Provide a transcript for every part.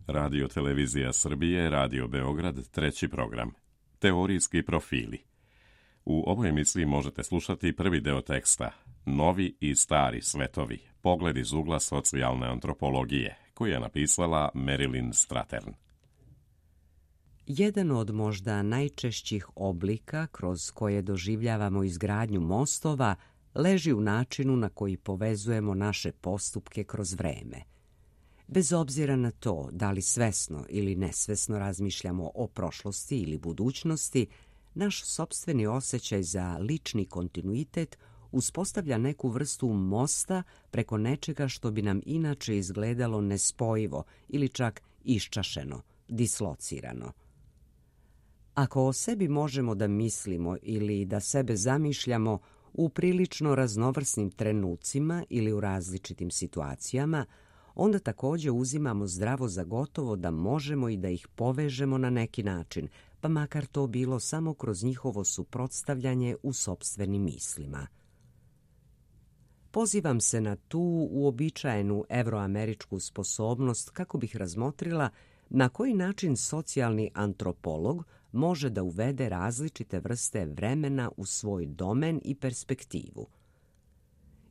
Radio Televizija Srbije, Radio Beograd, treći program. Teorijski profili. U ovoj emisiji možete slušati prvi deo teksta Novi i stari svetovi, pogled iz ugla socijalne antropologije, koju je napisala Marilyn Strathern. Jedan od možda najčešćih oblika kroz koje doživljavamo izgradnju mostova leži u načinu na koji povezujemo naše postupke kroz vreme. Bez obzira na to da li svesno ili nesvesno razmišljamo o prošlosti ili budućnosti, naš sopstveni osjećaj za lični kontinuitet uspostavlja neku vrstu mosta preko nečega što bi nam inače izgledalo nespojivo ili čak iščašeno, dislocirano. Ako o sebi možemo da mislimo ili da sebe zamišljamo u prilično raznovrsnim trenucima ili u različitim situacijama, onda također uzimamo zdravo za gotovo da možemo i da ih povežemo na neki način, pa makar to bilo samo kroz njihovo suprotstavljanje u sopstvenim mislima. Pozivam se na tu uobičajenu evroameričku sposobnost kako bih razmotrila na koji način socijalni antropolog može da uvede različite vrste vremena u svoj domen i perspektivu.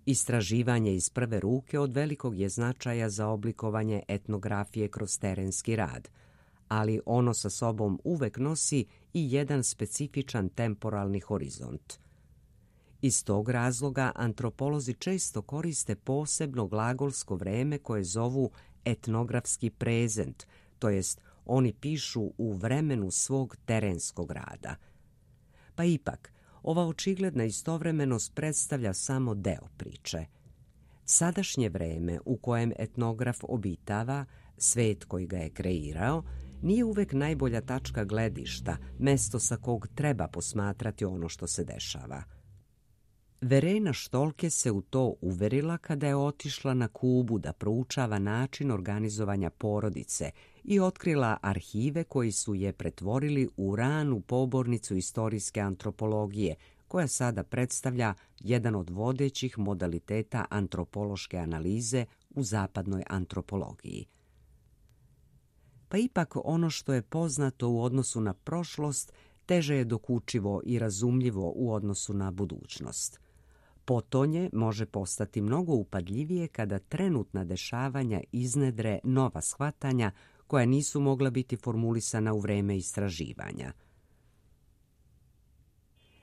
Istraživanje iz prve ruke od velikog je značaja za oblikovanje etnografije kroz terenski rad, ali ono sa sobom uvek nosi i jedan specifičan temporalni horizont. Iz tog razloga antropolozi često koriste posebno glagolsko vreme koje zovu etnografski prezent, to jest oni pišu u vremenu svog terenskog rada. Pa ipak, ova očigledna istovremenost predstavlja samo deo priče. Sadašnje vreme u kojem etnograf obitava, svet koji ga je kreirao, nije uvek najbolja tačka gledišta, mesto sa kog treba posmatrati ono što se dešava. Verena Štolke se u to uverila kada je otišla na Kubu da proučava način organizovanja porodice i otkrila arhive koji su je pretvorili u ranu pobornicu istorijske antropologije, koja sada predstavlja jedan od vodećih modaliteta antropološke analize u zapadnoj antropologiji. Pa ipak ono što je poznato u odnosu na prošlost teže je dokučivo i razumljivo u odnosu na budućnost. Potonje može postati mnogo upadljivije kada trenutna dešavanja iznedre nova shvatanja koja nisu mogla biti formulisana u vreme istraživanja.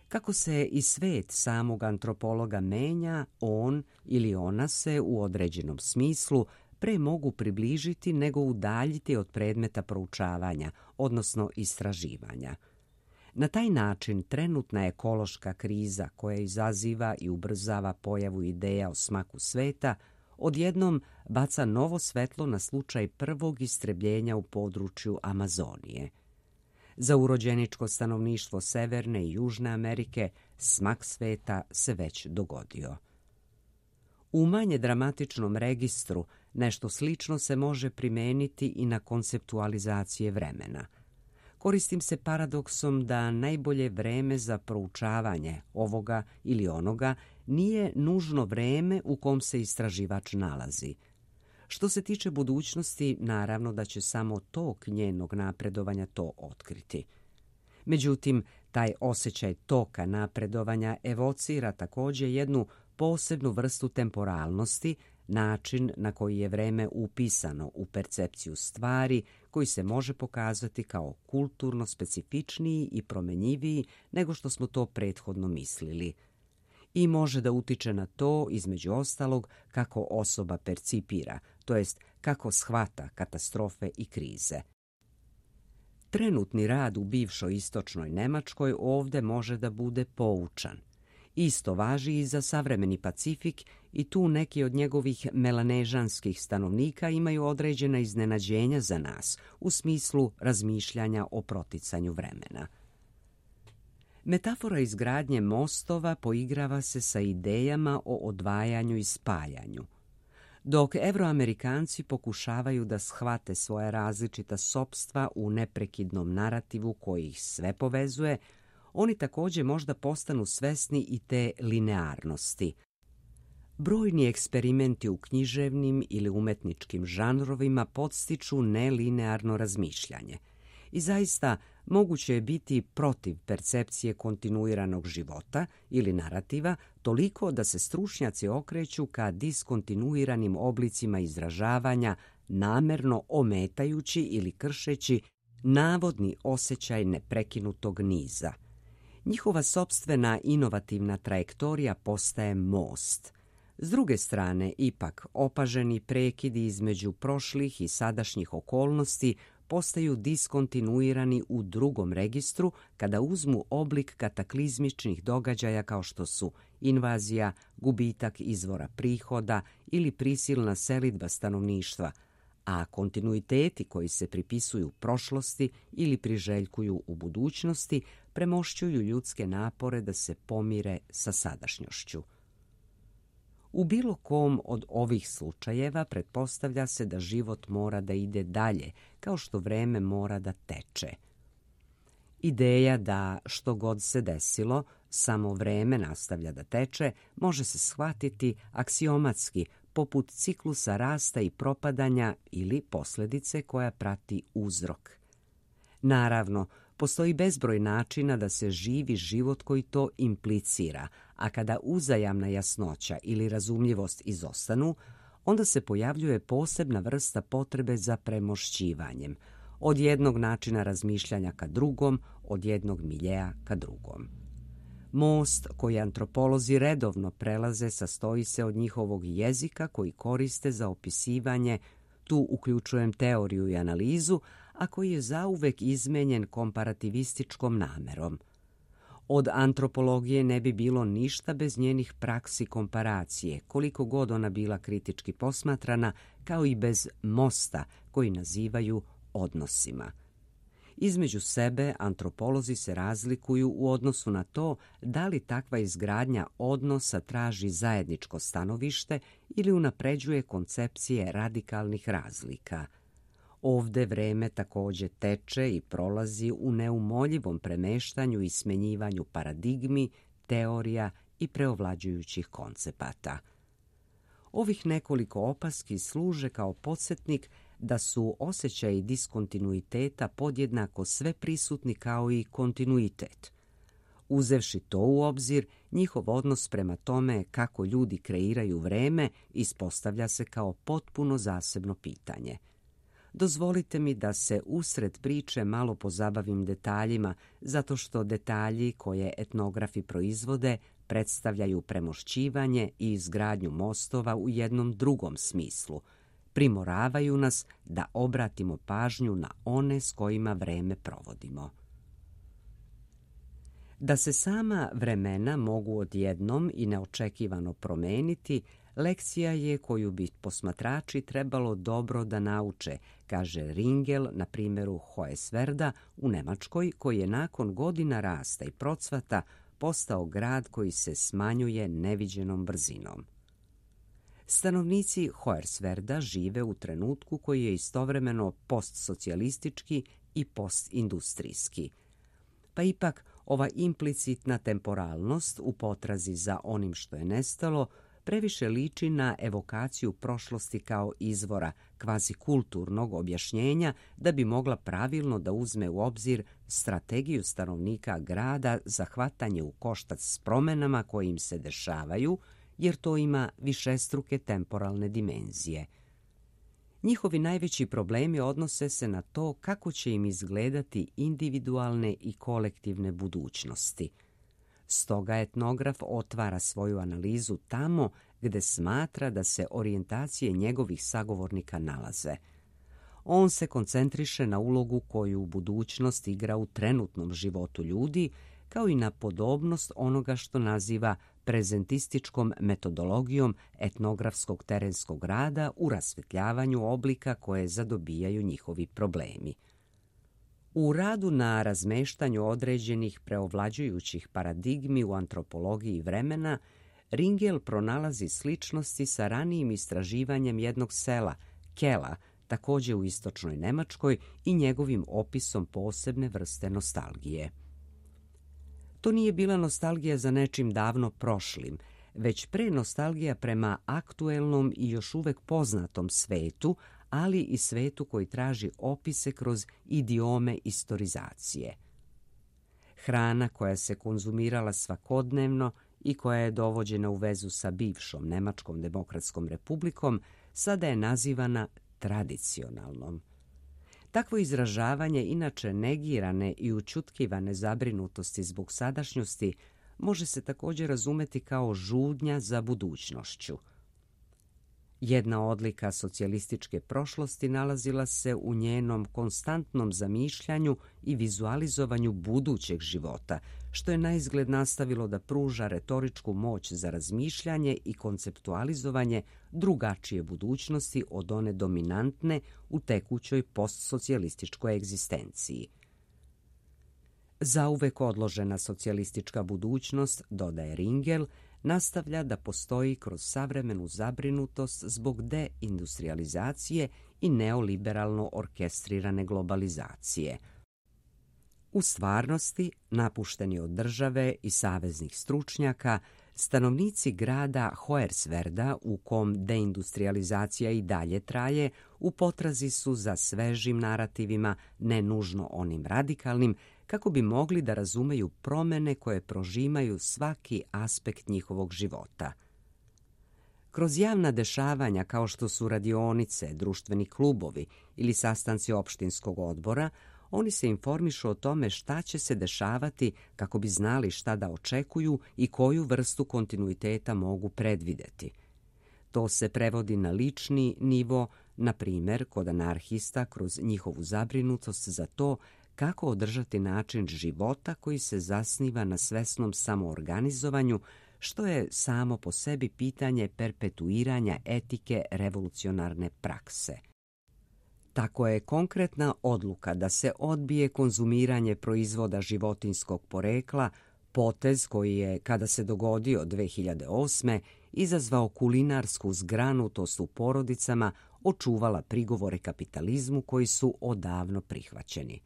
Kako se i svet samog antropologa menja, on ili ona se u određenom smislu pre mogu približiti nego udaljiti od predmeta proučavanja, odnosno istraživanja. Na taj način trenutna ekološka kriza koja izaziva i ubrzava pojavu ideja o smaku sveta odjednom baca novo svetlo na slučaj prvog istrebljenja u području Amazonije. Za urođeničko stanovništvo Severne i Južne Amerike smak sveta se već dogodio. U manje dramatičnom registru nešto slično se može primeniti i na konceptualizacije vremena. Koristim se paradoksom da najbolje vreme za proučavanje ovoga ili onoga nije nužno vreme u kom se istraživač nalazi. Što se tiče budućnosti, naravno da će samo tok njenog napredovanja to otkriti. Međutim, taj osjećaj toka napredovanja evocira također jednu posebnu vrstu temporalnosti, način na koji je vreme upisano u percepciju stvari, koji se može pokazati kao kulturno specifičniji i promenjiviji nego što smo to prethodno mislili. I može da utiče na to, između ostalog, kako osoba percipira, to jest kako shvata katastrofe i krize. Trenutni rad u bivšoj istočnoj Nemačkoj ovde može da bude poučan. Isto važi i za savremeni Pacifik i tu neki od njegovih melanežanskih stanovnika imaju određena iznenađenja za nas u smislu razmišljanja o proticanju vremena. Metafora izgradnje mostova poigrava se sa idejama o odvajanju i spajanju. Dok Evroamerikanci pokušavaju da shvate svoja različita sopstva u neprekidnom narativu koji ih sve povezuje, oni također možda postanu svesni i te linearnosti. Brojni eksperimenti u književnim ili umetničkim žanrovima podstiču nelinearno razmišljanje. I zaista moguće je biti protiv percepcije kontinuiranog života ili narativa toliko da se stručnjaci okreću ka diskontinuiranim oblicima izražavanja, namerno ometajući ili kršeći navodni osjećaj neprekinutog niza. Njihova sopstvena inovativna trajektorija postaje most. S druge strane, ipak, opaženi prekidi između prošlih i sadašnjih okolnosti postaju diskontinuirani u drugom registru kada uzmu oblik kataklizmičnih događaja kao što su invazija, gubitak izvora prihoda ili prisilna selidba stanovništva, a kontinuiteti koji se pripisuju prošlosti ili priželjkuju u budućnosti premošćuju ljudske napore da se pomire sa sadašnjošću. U bilo kom od ovih slučajeva pretpostavlja se da život mora da ide dalje, kao što vreme mora da teče. Ideja da što god se desilo, samo vreme nastavlja da teče, može se shvatiti aksiomatski, poput ciklusa rasta i propadanja ili posljedice koja prati uzrok. Naravno, postoji bezbroj načina da se živi život koji to implicira, a kada uzajamna jasnoća ili razumljivost izostanu, onda se pojavljuje posebna vrsta potrebe za premošćivanjem, od jednog načina razmišljanja ka drugom, od jednog miljeja ka drugom. Most koji antropolozi redovno prelaze sastoji se od njihovog jezika koji koriste za opisivanje, tu uključujem teoriju i analizu, a koji je zauvek izmenjen komparativističkom namerom. Od antropologije ne bi bilo ništa bez njenih praksi komparacije, koliko god ona bila kritički posmatrana, kao i bez mosta koji nazivaju odnosima. Između sebe antropolozi se razlikuju u odnosu na to da li takva izgradnja odnosa traži zajedničko stanovište ili unapređuje koncepcije radikalnih razlika. Ovde vreme također teče i prolazi u neumoljivom premeštanju i smenjivanju paradigmi, teorija i preovlađujućih koncepata. Ovih nekoliko opaski služe kao podsjetnik da su osjećaji diskontinuiteta podjednako sve prisutni kao i kontinuitet. Uzevši to u obzir, njihov odnos prema tome kako ljudi kreiraju vreme ispostavlja se kao potpuno zasebno pitanje. Dozvolite mi da se usred priče malo pozabavim detaljima, zato što detalji koje etnografi proizvode predstavljaju premošćivanje i izgradnju mostova u jednom drugom smislu. Primoravaju nas da obratimo pažnju na one s kojima vreme provodimo. Da se sama vremena mogu odjednom i neočekivano promeniti, lekcija je koju bi posmatrači trebalo dobro da nauče, kaže Ringel na primjeru Hoyerswerda u Nemačkoj, koji je nakon godina rasta i procvata postao grad koji se smanjuje neviđenom brzinom. Stanovnici Hoyerswerda žive u trenutku koji je istovremeno postsocijalistički i postindustrijski. Pa ipak ova implicitna temporalnost u potrazi za onim što je nestalo previše liči na evokaciju prošlosti kao izvora kvazikulturnog objašnjenja da bi mogla pravilno da uzme u obzir strategiju stanovnika grada za hvatanje u koštac s promjenama koje im se dešavaju, jer to ima višestruke temporalne dimenzije. Njihovi najveći problemi odnose se na to kako će im izgledati individualne i kolektivne budućnosti. Stoga etnograf otvara svoju analizu tamo gde smatra da se orijentacije njegovih sagovornika nalaze. On se koncentriše na ulogu koju budućnost igra u trenutnom životu ljudi, kao i na podobnost onoga što naziva prezentističkom metodologijom etnografskog terenskog rada u rasvetljavanju oblika koje zadobijaju njihovi problemi. U radu na razmeštanju određenih preovlađujućih paradigmi u antropologiji vremena, Ringel pronalazi sličnosti sa ranijim istraživanjem jednog sela, Kela, također u istočnoj Nemačkoj, i njegovim opisom posebne vrste nostalgije. To nije bila nostalgija za nečim davno prošlim, već pre nostalgija prema aktuelnom i još uvek poznatom svetu, ali i svetu koji traži opise kroz idiome istorizacije. Hrana koja se konzumirala svakodnevno i koja je dovođena u vezu sa bivšom Nemačkom demokratskom republikom sada je nazivana tradicionalnom. Takvo izražavanje inače negirane i ućutkivane zabrinutosti zbog sadašnjosti može se također razumeti kao žudnja za budućnošću. Jedna odlika socijalističke prošlosti nalazila se u njenom konstantnom zamišljanju i vizualizovanju budućeg života, što je naizgled nastavilo da pruža retoričku moć za razmišljanje i konceptualizovanje drugačije budućnosti od one dominantne u tekućoj postsocijalističkoj egzistenciji. Zauvek odložena socijalistička budućnost, dodaje Ringel, nastavlja da postoji kroz savremenu zabrinutost zbog deindustrializacije i neoliberalno orkestrirane globalizacije. U stvarnosti, napušteni od države i saveznih stručnjaka, stanovnici grada Hoyerswerda, u kom deindustrializacija i dalje traje, u potrazi su za svežim narativima, ne nužno onim radikalnim, kako bi mogli da razumeju promene koje prožimaju svaki aspekt njihovog života. Kroz javna dešavanja kao što su radionice, društveni klubovi ili sastanci opštinskog odbora, oni se informišu o tome šta će se dešavati kako bi znali šta da očekuju i koju vrstu kontinuiteta mogu predvideti. To se prevodi na lični nivo, na primjer kod anarhista kroz njihovu zabrinutost za to kako održati način života koji se zasniva na svesnom samoorganizovanju, što je samo po sebi pitanje perpetuiranja etike revolucionarne prakse. Tako je konkretna odluka da se odbije konzumiranje proizvoda životinjskog porekla potez koji je, kada se dogodio 2008. izazvao kulinarsku zgranutost u porodicama, očuvala prigovore kapitalizmu koji su odavno prihvaćeni.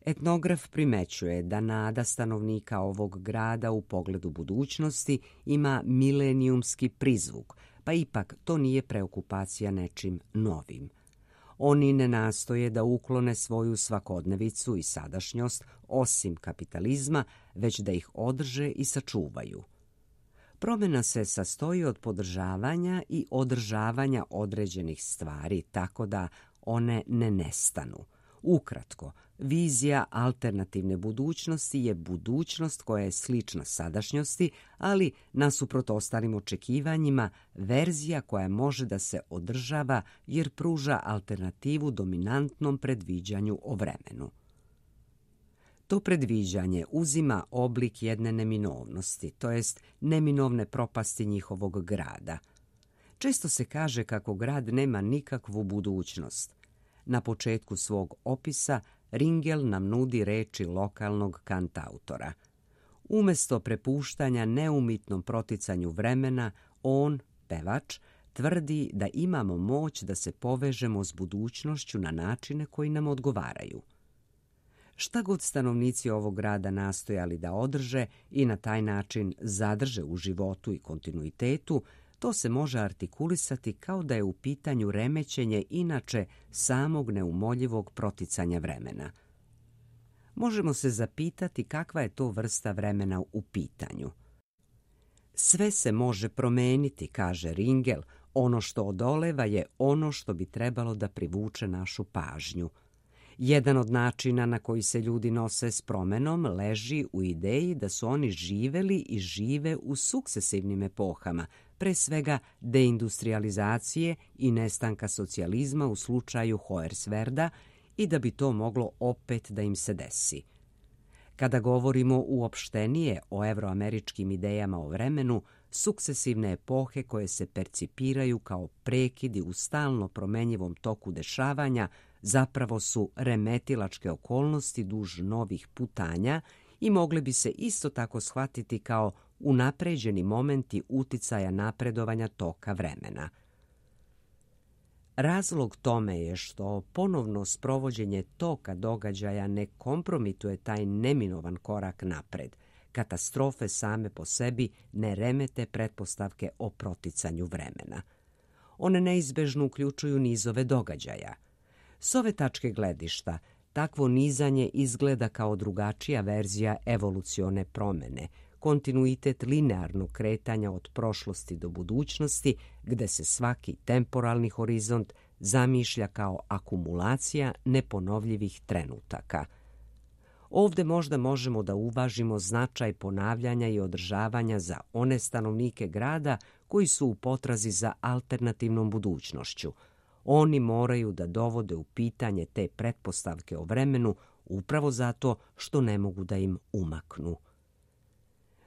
Etnograf primećuje da nada stanovnika ovog grada u pogledu budućnosti ima milenijumski prizvuk, pa ipak to nije preokupacija nečim novim. Oni ne nastoje da uklone svoju svakodnevicu i sadašnjost osim kapitalizma, već da ih održe i sačuvaju. Promjena se sastoji od podržavanja i održavanja određenih stvari tako da one ne nestanu. Ukratko, vizija alternativne budućnosti je budućnost koja je slična sadašnjosti, ali nasuprot ostalim očekivanjima, verzija koja može da se održava jer pruža alternativu dominantnom predviđanju o vremenu. To predviđanje uzima oblik jedne neminovnosti, to jest neminovne propasti njihovog grada. Često se kaže kako grad nema nikakvu budućnost. Na početku svog opisa Ringel nam nudi reči lokalnog kantautora. Umjesto prepuštanja neumitnom proticanju vremena, on, pevač, tvrdi da imamo moć da se povežemo s budućnošću na načine koji nam odgovaraju. Šta god stanovnici ovog grada nastojali da održe i na taj način zadrže u životu i kontinuitetu, to se može artikulisati kao da je u pitanju remećenje inače samog neumoljivog proticanja vremena. Možemo se zapitati kakva je to vrsta vremena u pitanju. Sve se može promeniti, kaže Ringel, ono što odoleva je ono što bi trebalo da privuče našu pažnju. Jedan od načina na koji se ljudi nose s promenom leži u ideji da su oni živeli i žive u sukcesivnim epohama, pre svega deindustrializacije i nestanka socijalizma u slučaju Hoyerswerda i da bi to moglo opet da im se desi. Kada govorimo uopštenije o evroameričkim idejama o vremenu, sukcesivne epohe koje se percipiraju kao prekidi u stalno promenjivom toku dešavanja zapravo su remetilačke okolnosti duž novih putanja i mogle bi se isto tako shvatiti kao unapređeni momenti uticaja napredovanja toka vremena. Razlog tome je što ponovno sprovođenje toka događaja ne kompromituje taj neminovan korak napred, katastrofe same po sebi ne remete pretpostavke o proticanju vremena. One neizbežno uključuju nizove događaja. S ove tačke gledišta, takvo nizanje izgleda kao drugačija verzija evolucione promene, kontinuitet linearnog kretanja od prošlosti do budućnosti, gde se svaki temporalni horizont zamišlja kao akumulacija neponovljivih trenutaka. Ovde možda možemo da uvažimo značaj ponavljanja i održavanja za one stanovnike grada koji su u potrazi za alternativnom budućnošću. Oni moraju da dovode u pitanje te pretpostavke o vremenu upravo zato što ne mogu da im umaknu.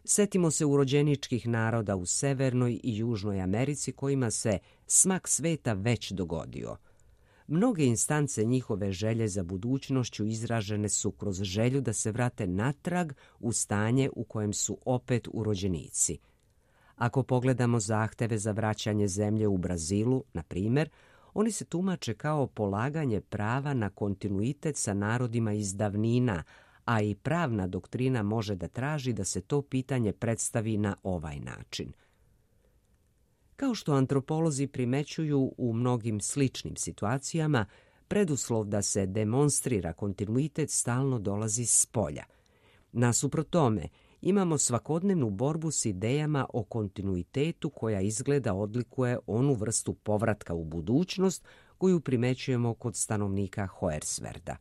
Setimo se urođeničkih naroda u Severnoj i Južnoj Americi kojima se smak sveta već dogodio. Mnoge instance njihove želje za budućnošću izražene su kroz želju da se vrate natrag u stanje u kojem su opet urođenici. Ako pogledamo zahteve za vraćanje zemlje u Brazilu, na primjer, oni se tumače kao polaganje prava na kontinuitet sa narodima iz davnina, a i pravna doktrina može da traži da se to pitanje predstavi na ovaj način. Kao što antropolozi primećuju u mnogim sličnim situacijama, preduslov da se demonstrira kontinuitet stalno dolazi s polja. Nasuprot tome, imamo svakodnevnu borbu s idejama o kontinuitetu koja izgleda odlikuje onu vrstu povratka u budućnost koju primećujemo kod stanovnika Hoyerswerda.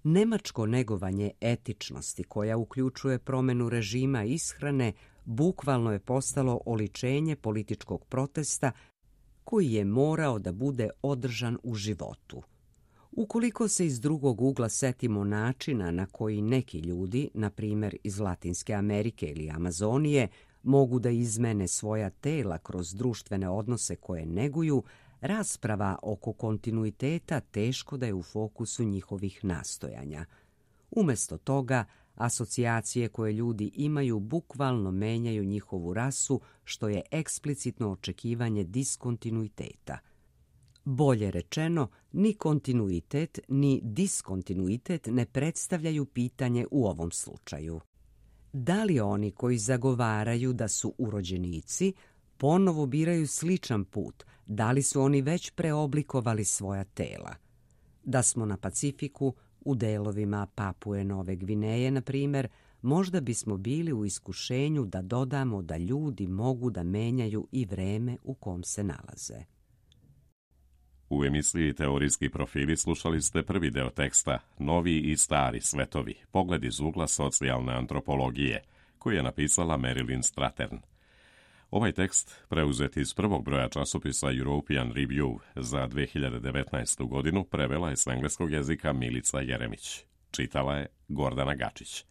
Nemačko negovanje etičnosti koja uključuje promenu režima ishrane bukvalno je postalo oličenje političkog protesta koji je morao da bude održan u životu. Ukoliko se iz drugog ugla setimo načina na koji neki ljudi, na primjer iz Latinske Amerike ili Amazonije, mogu da izmene svoja tela kroz društvene odnose koje neguju, rasprava oko kontinuiteta teško da je u fokusu njihovih nastojanja. Umjesto toga, asocijacije koje ljudi imaju bukvalno menjaju njihovu rasu, što je eksplicitno očekivanje diskontinuiteta. Bolje rečeno, ni kontinuitet ni diskontinuitet ne predstavljaju pitanje u ovom slučaju. Da li oni koji zagovaraju da su urođenici ponovo biraju sličan put, da li su oni već preoblikovali svoja tela? Da smo na Pacifiku, u delovima Papue Nove Gvineje, na primjer, možda bismo bili u iskušenju da dodamo da ljudi mogu da menjaju i vreme u kom se nalaze. U emisiji Teorijski profili slušali ste prvi deo teksta Novi i stari svetovi, pogled iz ugla socijalne antropologije, koji je napisala Marilyn Strathern. Ovaj tekst, preuzet iz prvog broja časopisa European Review za 2019. godinu, prevela je s engleskog jezika Milica Jeremić. Čitala je Gordana Gačić.